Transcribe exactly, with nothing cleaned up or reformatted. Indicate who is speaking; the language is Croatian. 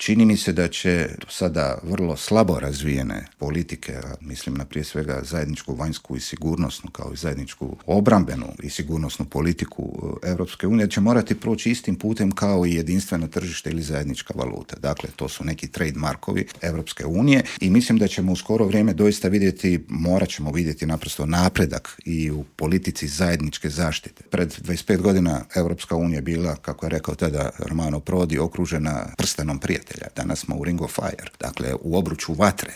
Speaker 1: čini mi se da će do sada vrlo slabo razvijene politike, a mislim na prije svega zajedničku vanjsku i sigurnosnu kao i zajedničku obrambenu i sigurnosnu politiku Europske unije, će morati proći istim putem kao i jedinstveno tržište ili zajednička valuta. Dakle, to su neki trademarkovi Europske unije i mislim da ćemo u skoro vrijeme doista vidjeti, morat ćemo vidjeti naprosto napredak i u politici zajedničke zaštite. Pred dvadeset pet godina Europska unija bila, kako je rekao tada Romano Prodi, okružena prstenom prijatelja. Danas smo u Ring of Fire, dakle u obruču vatre.